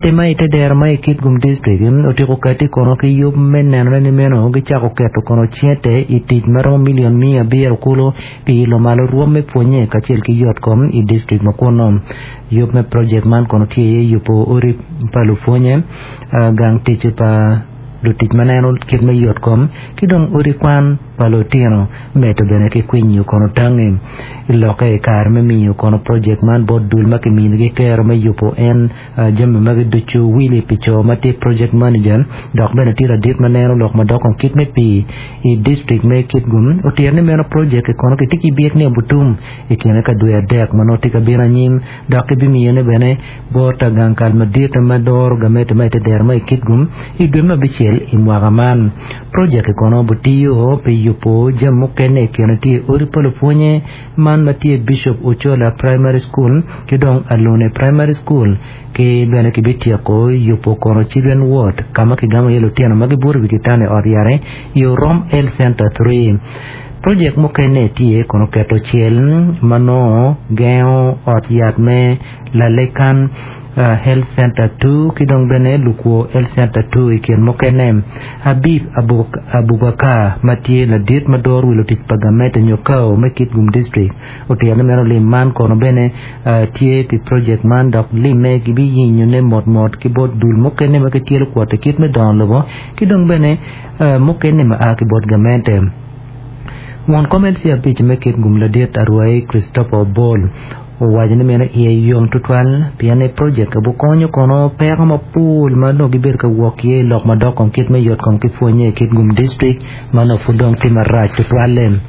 Gamente ma i te dero ma i Kitgum District otyeko kati kono ki yub me nenone ni meno gicako keto kono cente i tic ma romo milion 900 kulu pi ilo malo rwom me pwonye kacel ki yot kom i district ma kunnu. Yub me project man kono tye iye yubo odi pa lupwonye, gang tic pa lutic ma neno kit me yot kom ki dong odi kwan pa lutino medo bene ki kwinyo kono tangi. I lokke i kare me miyo kono project man bot dul ma kiminigi kero me yubo en jami magi ducu, Willie pi co ma tye project manager dok bene tye ladit ma neno lok madok kom kit me pii i district me Kitgum otito ni meno project-ki kono kitye ki byek ni obutum i kine ka dwe adek ma nongo tye ka bino anyim dok kibimiyone bene bot gang kal madit ma doro gamete ma i te dero ma i Kitgum i dwe me abicel i mwaka man. Projek-ki kono butiyo pi yubo jami mukene i kine tye odi pa lupwonye man ma tye Bishop Ochola Primary School ki dong Alune Primary School ki bene kibityeko yubo kono Children Ward ka ma kigamo iye lutino ma gibuto i wi kitanda i ot yat i Orom Health Center 3. Projek mukene tye kono keto cel ma nongo gengo ot yat me Lalekan Health Center 2 ki dong bene Lukwo Health Center 2 i kin mukene. Habib Abubakar ma tye ladit ma doro wi lutic pa gamente nyo kao me Kitgum District otito ni meno lim man kono bene tye pi projek man dok limme gibiyinyone motmot ki bot dul mukene ma gityelo kwoto kit me dongo lobo ki dong bene mukene ma a ki bot gamente. Won kom LC abic me Kitgum ladit Arwai Christopher Obol owaco ni meno iye yom tutwal pien ni projek obukonyo kono peko mapol ma nongo gibedo ka wok iye i lok madok kom kit me yot kom ki pwonye i Kitgum District ma nongo pud dong tye marac tutwalle.